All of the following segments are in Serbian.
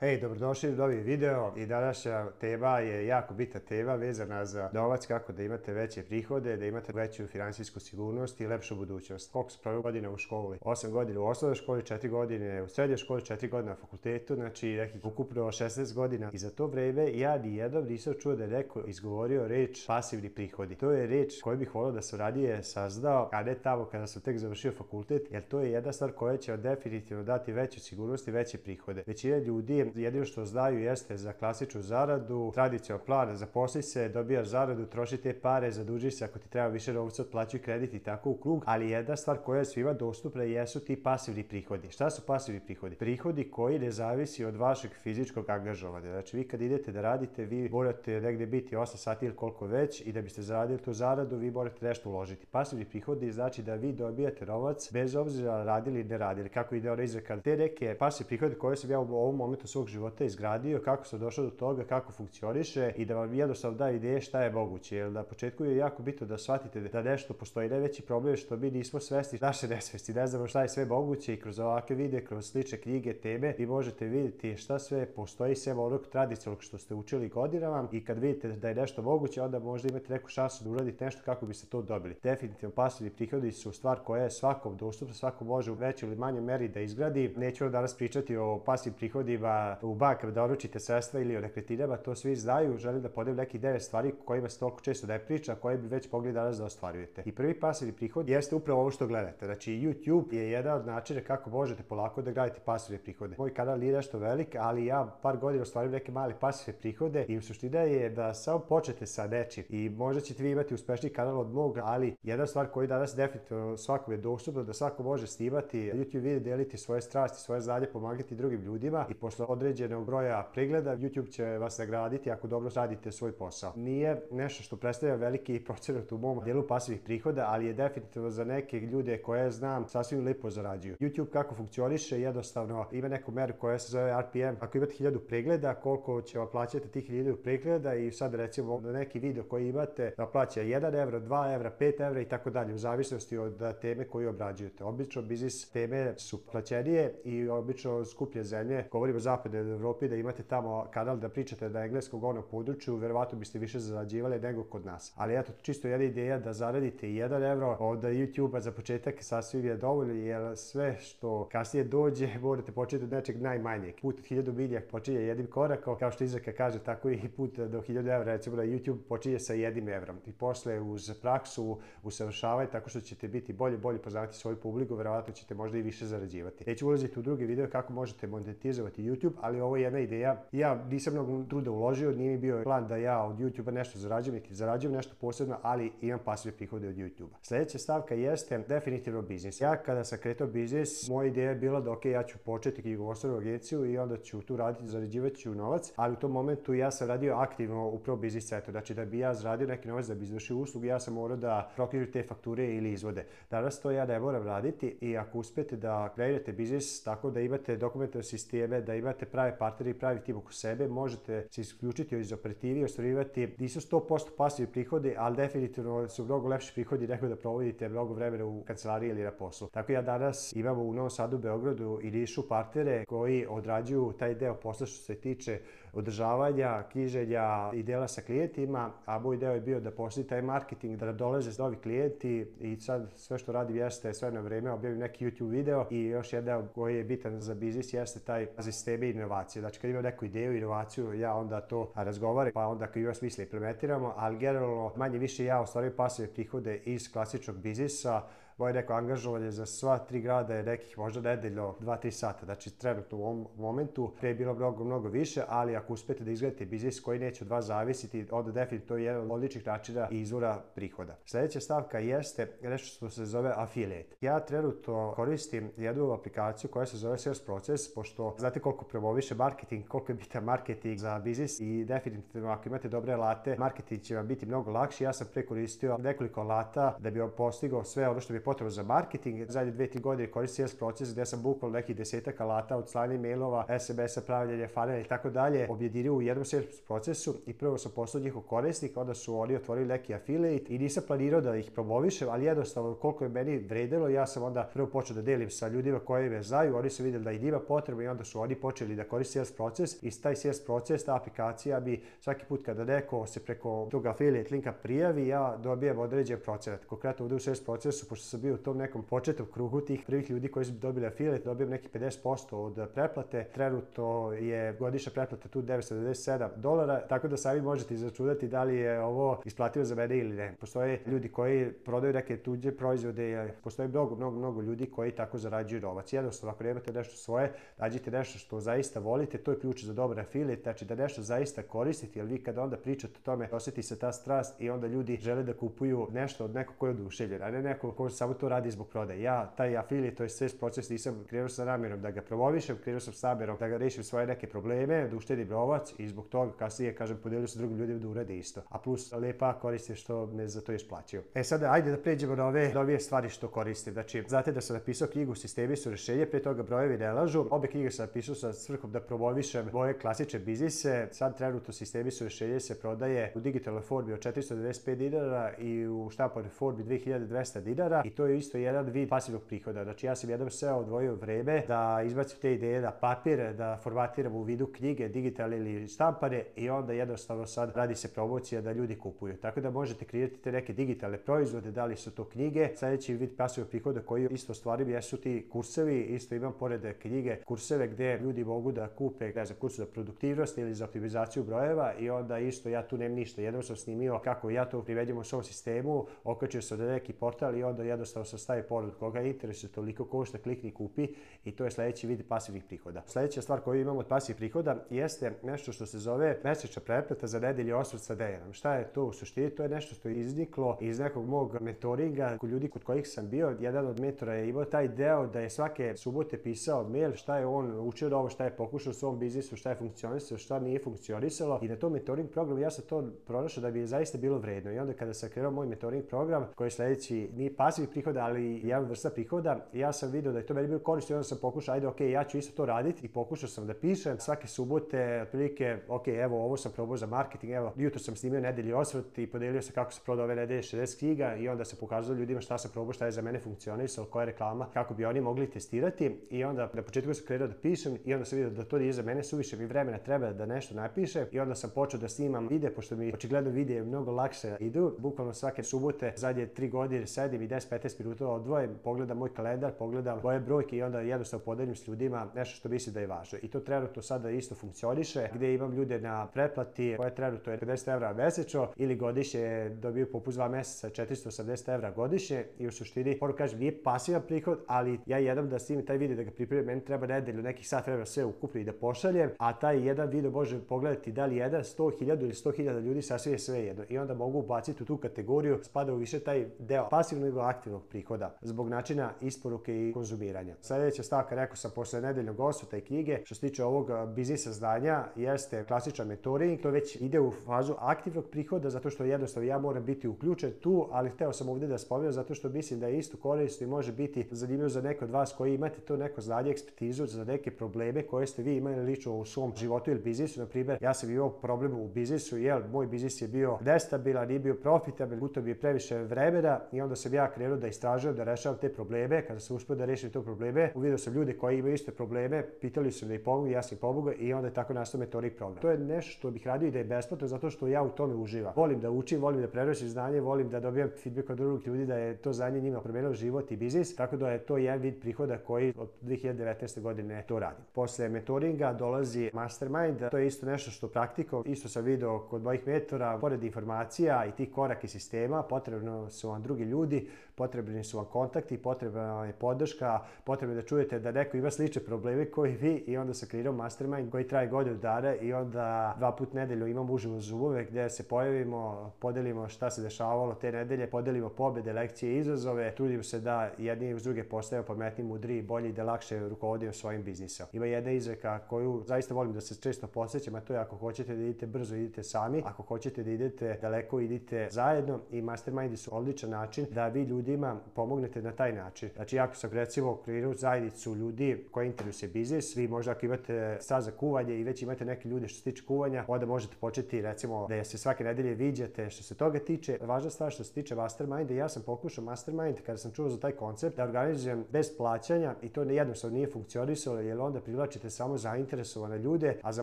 Hej, dobrodošli u novi video i današnja tema je jako bitna tema vezana za novac, kako da imate veće prihode, da imate veću finansijsku sigurnost i lepšu budućnost. Koliko se proveo godina u školi? 8 godina u osnovnoj školi, 4 godine u srednjoj školi, 4 godine na fakultetu, znači nekih ukupno 16 godina. I za to vreme ja nijednom nisam čuo da je neko izgovorio reč pasivni prihodi. To je reč koju bih volio da sam radije saznao, a ne tamo kada sam tek završio fakultet, jer to je jedna stvar koja će vam definitivno dati veću sigurnost i veće prihode. Većina ljudi jedino što znaju jeste za klasičnu zaradu, tradicionalan plan, zaposli se, dobijaš zaradu, troši te pare, zaduži se ako ti treba više novca, otplaćuj kredit i tako u krug, ali jedna stvar koja je svima dostupna jesu ti pasivni prihodi. Šta su pasivni prihodi? Prihodi koji ne zavisi od vašeg fizičkog angažovanja. Znači vi kad idete da radite, vi morate negde biti 8 sati ili koliko već i da biste zaradili tu zaradu, vi morate nešto uložiti. Pasivni prihodi znači da vi dobijate novac bez obzira radili ili ne radili. Kako ide ona izreka? Te neke pasivni prihode koje sam ja u ovom momentu svog života izgradio, kako sam došao do toga, kako funkcioniše i da vam jednostavno da ideje šta je moguće. Jer na početku je jako bitno da shvatite da nešto postoji. Najveći problem je što mi nismo svesni naše nesvesti, ne znamo šta je sve moguće i kroz ovakve videe, kroz slične knjige, teme, vi možete vidjeti šta sve postoji sem onog tradicionalnog što ste učili godinama i kad vidite da je nešto moguće, onda možda imate neku šansu da uradite nešto kako biste to dobili. Definitivno pasivni prihodi su stvar koja je svakom dostupna, svako može u većoj ili manjoj meri da izgradi. Neću vam danas pričati o pasivnim prihodima u bankama da oročite sredstva ili o nekretninama, to svi znaju. Želim da podelim nekih 9 stvari kojima se toliko često ne priča, koje bi već mogli danas da ostvarujete. I prvi pasivni prihod jeste upravo ovo što gledate. Znači YouTube je jedan od načina kako možete polako da gradite pasivne prihode. Moj kanal nije nešto velik, ali ja par godina ostvarujem neke male pasivne prihode i suština je da samo počnete sa nečim i možda ćete vi imati uspešniji kanal od mog, ali jedna stvar koju danas definitivno svakom je dostupno, da svako može snimati YouTube video, deliti svoje strasti, svoje znanje, pomagati drugim ljudima i posle određenog broja pregleda YouTube će vas nagraditi ako dobro radite svoj posao. Nije nešto što predstavlja veliki procenat u mom delu pasivnih prihoda, ali je definitivno za neke ljude koje znam sasvim lepo zarađuju. YouTube kako funkcioniše, jednostavno ima neku meru koja se zove RPM. Ako imate 1000 pregleda, koliko će vam plaćati tih 1000 pregleda i sad recimo na neki video koji imate da plaća 1 evro, 2 evra, 5 evra i tako dalje, u zavisnosti od teme koju obrađujete. Obično biznis teme su plaćenije i obično skuplje zemlje. Govorimo o zapadnoj Evropi, da imate tamo kanal da pričate na engleskom govornom području, verovatno biste više zarađivali nego kod nas. Ali eto, čisto jedna ideja da zaradite 1 evro od YouTube-a za početak sasvim je dovoljno, jer sve što kasnije dođe morate početi od nečeg najmanjeg. Put od 1000 milja počinje jednim korakom, kao što izreka kaže, tako i put do 1000 evra, recimo na YouTube počinje sa 1 evrom. I posle uz praksu, usavršavanje, tako što ćete biti bolje poznati svoju publiku, verovatno ćete možda i više zarađivati. Neću ulaziti u drugi video kako možete monetizovati YouTube, ali ovo je jedna ideja. Ja nisam mnogo truda uložio, nije mi bio plan da ja od YouTube-a nešto zarađujem, niti zarađujem nešto posebno, ali imam pasivne prihode od YouTube-a. Sledeća stavka jeste definitivno biznis. Ja kada sam kretao biznis, moja ideja je bila da ja ću početi knjigovodstvenu agenciju i onda ću tu raditi, zarađivat ću novac, ali u tom momentu ja sam radio aktivno upravo biznis centru. Znači da bi ja zaradio neki novac, da bi izvršio uslugu, ja sam morao da proknjižim te fakture ili izvode. Danas to ja ne moram raditi i ako uspete da kreirate biznis tako da imate dokumentarne sisteme, da imate prave partnere i pravi tim oko sebe, možete se isključiti iz operativi i ostvarivati, nisu 100% pasivni prihodi, ali definitivno su mnogo lepši prihodi nego da provodite mnogo vremena u kancelariji ili na poslu. Tako ja danas imamo u Novom Sadu, Beogradu i Nišu partnere koji odrađuju taj deo posla što se tiče održavanja, knjiženja i dela sa klijentima, a moj deo je bio da postoji taj marketing, da dolaze novi klijenti i sad sve što radim jeste sve na vreme, objavim neki YouTube video i još jedan koji je bitan za biznis jeste taj sisteme inovacije. Znači kad imam neku ideju, inovaciju, ja onda to razgovaram, pa onda kad ima smisla implementiramo, ali generalno manje više ja ostvarujem pasivne prihode iz klasičnog biznisa. Moje neko angažovanje za sva 3 grada je nekih možda nedeljno 2-3 sata. Znači trenutno u ovom momentu pre je bilo mnogo više, ali ako uspete da izgledate biznis koji neće od vas zavisiti, onda definitivno to je jedan od odličnih načina i izvora prihoda. Sledeća stavka jeste nešto što se zove affiliate. Ja trenutno koristim jednu aplikaciju koja se zove Sales Process, pošto znate koliko promoviše marketing, koliko je bitan marketing za biznis i definitivno ako imate dobre alate, marketing će vam biti mnogo lakši. Ja sam pre koristio nekoliko alata da bi vam postigao sve ono što mi potrebno za marketing. Zadnje 2-3 godine koristim sales proces gde sam bukvalno nekih 10 alata od slanja mailova, SMS-a, pravljenja funnela i tako dalje objedinio u jednom sales procesu i prvo sam postao njihov korisnik, onda su oni otvorili neki affiliate i nisam planirao da ih promovišem, ali jednostavno koliko je meni vredilo, ja sam onda prvo počeo da delim sa ljudima koji me znaju, oni su vidjeli da i njima potrebno i onda su oni počeli da koriste sales proces i taj sales proces, ta aplikacija bi svaki put kada neko se preko tog affiliate linka prijavi, ja dobijem određen procenat. Konkretno ovdje u sales procesu, pošto sam bio u tom nekom početnom krugu tih prvih ljudi koji su dobili affiliate, dobijem neki 50% od pretplate. Trenutno je godišnja pretplata tu $997, tako da sami možete izračunati da li je ovo isplativo za mene ili ne. Postoje ljudi koji prodaju neke tuđe proizvode, postoje mnogo ljudi koji tako zarađuju novac. Jednostavno, ako nemate nešto svoje, nađite nešto što zaista volite, to je ključ za dobar affiliate, znači da nešto zaista koristite, jer vi kada onda pričate o tome, osjeti se ta strast i onda ljudi žele da kupuju nešto od nekog koji je oduševljen, a ne neko ko samo to radi zbog prodaje. Ja taj affiliate, to je sales proces, nisam krenuo sa namjerom da ga promovišem, krenuo sam sa namjerom da ga rešim svoje neke probleme, da uštedim novac i zbog toga kasnije, kažem, podelio sa drugim ljudima da urade isto. A plus lepa koristi što me za to još plaćaju. Sada, ajde da pređemo na ove novije stvari što koristim. Znači, znate da sam napisao knjigu Sistemi su rešenje, pre toga brojevi ne lažu. Obe knjige sam napisao sa svrhom da promovišem moje klasične biznise. Sad trenutno Sistemi su rešenje se prodaje u digitalnoj formi od $495 i u štampanoj formi $2200 i to je isto jedan vid pasivnog prihoda. Znači, ja sam jednom seo odvojio vreme da izbacim te ideje na papir, da formatiram u vidu knjige, digitalne ili štampane i onda jednostavno sad radi se promocija da ljudi kupuju. Tako da možete kreirati te neke digitalne proizvode, da li su to knjige. Sljedeći vid pasivnog prihoda koji isto stvarim jesu ti kursevi. Isto imam pored knjige kurseve gdje ljudi mogu da kupe, ne znam, kurs za produktivnost ili za optimizaciju brojeva i onda isto ja tu nemam ništa. Jednom sam snimio kako ja to privedem u svom sistemu, okačio sam na neki portal i onda jednostavno sam stavio porod koga interesuje, toliko košta, klikni, kupi i to je sljedeći vid pasivnih prihoda. Sljedeća stvar koju imamo od pasivnih prihoda jeste nešto što se zove mesečna pretplata za nedelju osvrt sa Dejanom. Šta je to u suštini? To je nešto što je izniklo iz nekog mog mentoringa kod ljudi kod kojih sam bio. Jedan od mentora je imao taj deo da je svake subote pisao mail šta je on učio da ovo, šta je pokušao u svom biznisu, šta je funkcionisalo, šta nije funkcionisalo i na tom mentoring programu ja sam to pronašao da bi je zaista bilo vredno. I onda kada sam krenuo moj mentoring program koji je sljedeći nije pasivnih prihoda, ali jedan vrsta prihoda, ja sam vidio da je to meni bilo korisno i onda sam pokušao, ajde, ok, ja ću isto to raditi i pokušao sam da pišem svake subote, otprilike, ok, evo, ovo sam probao za marketing, evo, jutro sam snimio nedelji osvrt i podelio se kako se prodao ove nedelje 60 knjiga i onda se pokazalo ljudima šta sam probao, šta je za mene funkcionisalo, koja je reklama, kako bi oni mogli testirati i onda na početku sam krenuo da pišem i onda sam vidio da to nije za mene suviše, mi vremena treba da nešto napišem i onda sam počeo da snimam videe, pošto mi očigledno videe mnogo lakše idu, bukvalno svake subote, zadnje 3 godine sedim i 10-15 minuta odvojim, pogledam moj kalendar, pogledam moje brojke i onda jednostavno podelim s ljudima nešto što mislim da je važno. I to trenutno sada isto funkcioniše, gdje imam ljude na pretplati koje trenutno je €50 mesečno ili godišnje dobiju popust 2 mjeseca €480 godišnje i u suštini, moram kažem, nije pasivan prihod, ali ja jednom da snimim taj video da ga pripremim, meni treba nedelju, nekih sat vremena sve ukupno i da pošaljem, a taj jedan video može pogledati da li 100.000 ili 100.000 ljudi, sasvim je sve jedno. I onda mogu ubaciti u tu kategoriju, spada u više taj deo pasivnog nego aktivnog prihoda zbog načina isporuke i konzumiranja. Sljedeća stavka, rekao sam, posle nedeljnog osvrta i knjige, što se tiče ovog biznisa znanja, jeste klasičan mentoring. To već ide u fazu aktivnog prihoda, zato što jednostavno ja moram biti uključen tu, ali hteo sam ovdje da spomenem zato što mislim da je isto korisno i može biti zanimljivo za neko od vas koji imate to neko znanje, ekspertizu za neke probleme koje ste vi imali lično u svom životu ili biznisu. Na primjer, ja sam imao problem u biznisu, jer moj biznis je bio nestabilan, nije bio profitabilan, guto bi je previše vremena i onda sam ja krenuo da istražujem, da rešavam te probleme. Kada sam uspio da rešim te probleme, uvidio sam ljude koji imaju iste probleme, pitali su da ih pomogu, ja sam ih pomogao i onda je tako nastao mentoring program. To je nešto što bih radio i da je besplatno zato što ja u tome uživam. Volim da učim, volim da prenosim znanje, volim da dobijam feedback od drugih ljudi da je to znanje njima promenilo život i biznis, tako da je to jedan vid prihoda koji od 2019. godine to radim. Posle mentoringa dolazi mastermind, to je isto nešto što praktikom, isto sam video kod mojih mentora, pored informacija i tih koraka i sistema, potrebno su vam drugi ljudi, potrebni su vam kontakti, potrebna je podrška, potrebno je da čujete da neko ima slične probleme koji vi i onda sam kreirao mastermind koji traje godinu dana i onda 2 puta nedelju imam uživo Zoomove gdje se pojavimo, podelimo šta se dešavalo te nedelje, podelimo pobjede, lekcije i izazove, trudimo se da jedni uz druge postajemo pametni, mudri, bolji i da lakše rukovodimo svojim biznisom. Ima jedna izreka koju zaista volim da se često podsjećam, a to je ako hoćete da idete brzo, idite sami, ako hoćete da idete daleko, idite zajedno i mastermindi su odličan način da vi ljudima ljudima pomognete na taj način. Znači, ako sam recimo kreirao zajednicu ljudi koji interesuje biznis, vi možda ako imate strast za kuvanje i već imate neke ljude što se tiče kuvanja, onda možete početi recimo da se svake nedelje viđate što se toga tiče. Važna stvar što se tiče masterminda, ja sam pokušao mastermind kada sam čuo za taj koncept da organizujem bez plaćanja i to jednostavno nije funkcionisalo, jer onda privlačite samo zainteresovane ljude, a za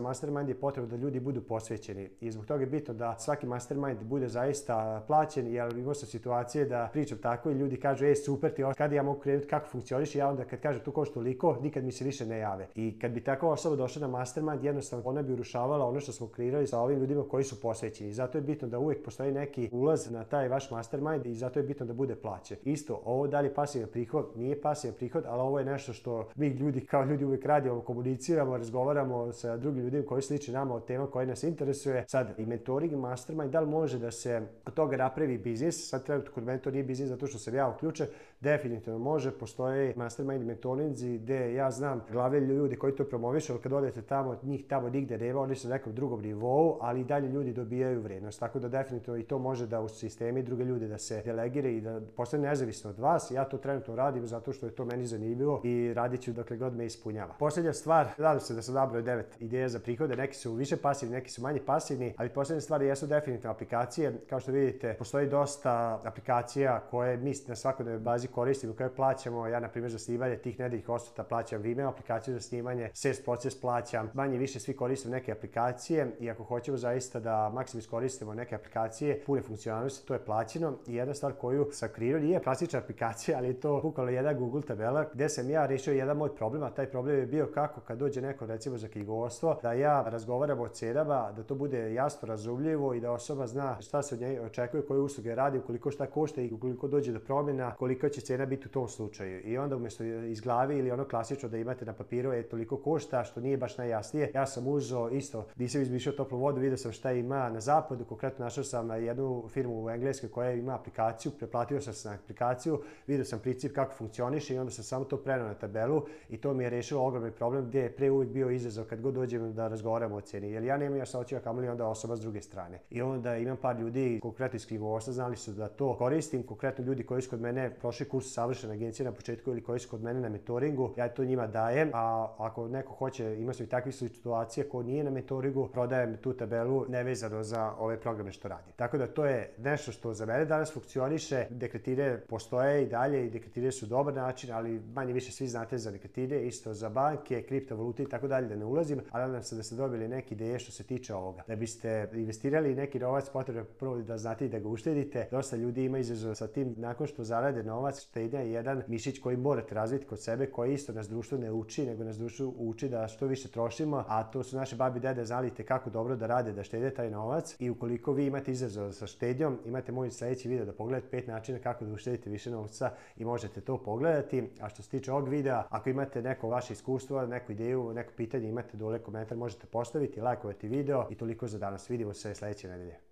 mastermind je potrebno da ljudi budu posvećeni. I zbog toga je bitno da svaki mastermind bude zaista plaćen, jer imao sam situacije da pričam tako i ljudi kažu super ti kada ja mogu krenuti, kako funkcioniš, i ja onda kad kažem tu košta toliko, nikad mi se više ne jave. I kad bi takva osoba došla na mastermind, jednostavno ona bi urušavala ono što smo kreirali sa ovim ljudima koji su posvećeni. I zato je bitno da uvijek postoji neki ulaz na taj vaš mastermind i zato je bitno da bude plaćen. Isto, ovo dalje pasivan prihod, nije pasivan prihod, ali ovo je nešto što mi ljudi kao ljudi uvijek radimo, komuniciramo, razgovaramo sa drugim ljudima koji sliče nama o tema koje nas interesuje. Sad i mentoring i mastermind, da li može da se od toga napravi biznis? Sad trenutno kod mene to nije biznis zato što sam ja uključen, definitivno može. Postoje mastermind i mentorinzi gdje ja znam glave ljudi koji to promovišu, ali kad odete tamo, njih tamo nigde nema, oni su na nekom drugom nivou, ali i dalje ljudi dobijaju vrijednost. Tako da definitivno i to može da u sistemi druge ljude da se delegira i da postane nezavisno od vas. Ja to trenutno radim zato što je to meni zanimljivo i radit ću dokle god me ispunjava. Posljednja stvar, nadam se da sam nabrojao 9 ideja za prihode, neki su više pasivni, neki su manje pasivni, ali posljednje stvari jesu definitivno aplikacije. Kao što vidite, postoji dosta aplikacija koje mi na svakodnevnoj bazi koristimo, koje plaćamo. Ja na primjer za snimanje tih nedeljnih osvrta plaćam Vimeo aplikaciju za snimanje, Sales Proces plaćam, manje više svi koristimo neke aplikacije i ako hoćemo zaista da maksimum iskoristimo neke aplikacije, pune funkcionalnosti, to je plaćeno. I jedna stvar koju sam kreirao nije klasična aplikacija, ali je to bukvalno jedna Google tabela gdje sam ja rešio jedan moj problem, a taj problem je bio kako kad dođe neko recimo za knjigovodstvo, da ja razgovaram o cenama, da to bude jasno razumljivo i da osoba zna šta se od nje očekuje, koje usluge radi, koliko šta košta i ukoliko dođe do promjena, koliko će cena biti u tom slučaju. I onda umjesto iz glavi ili ono klasično da imate na papiru toliko košta, što nije baš najjasnije, ja sam uzeo isto, nisam izmišljao toplu vodu, vidio sam šta ima na zapadu, konkretno našao sam jednu firmu u Engleskoj koja ima aplikaciju, preplatio sam se na aplikaciju, vidio sam princip kako funkcioniše i onda sam samo to preneo na tabelu i to mi je rešilo ogromni problem gdje je pre uvijek bio izazov kad god dođem da razgovaramo o cijeni, jer ja nemam jasnoću, a kamoli onda osoba s druge strane. I onda imam par ljudi, konkretno iz knjigovodstva, znali su da to koristim, konkretno ljudi koji su kod mene prošli kurs savršene agencije na početku ili koji su kod mene na mentoringu, ja to njima dajem, a ako neko hoće, ima su i takvih situacija ko nije na mentoringu, prodajem tu tabelu nevezano za ove programe što radim. Tako da to je nešto što za mene danas funkcioniše. Dekretire postoje i dalje i dekretire su dobar način, ali manje više svi znate za dekretire, isto za banke, kriptovalute i tako dalje, da ne ulazim, ali nadam se da ste dobili neke ideje što se tiče ovoga. Da biste investirali neki novac, potrebno prvo da znate i da ga uštedite. Dosta ljudi ima izazov sa tim, nakon što zarade novac, štednja je jedan mišić koji morate razviti kod sebe, koji isto nas društvo ne uči, nego nas društvo uči da što više trošimo, a to su naše babi i dede znali kako dobro da rade, da štede taj novac. I ukoliko vi imate izazov sa štednjom, imate moj sljedeći video da pogledate 5 načina kako da uštedite više novca i možete to pogledati. A što se tiče ovog videa, ako imate neko vaše iskustvo, neku ideju, neko pitanje, imate dole komentar, možete postaviti, lajkovati video i toliko za danas. Vidimo se sljedeće nedelje.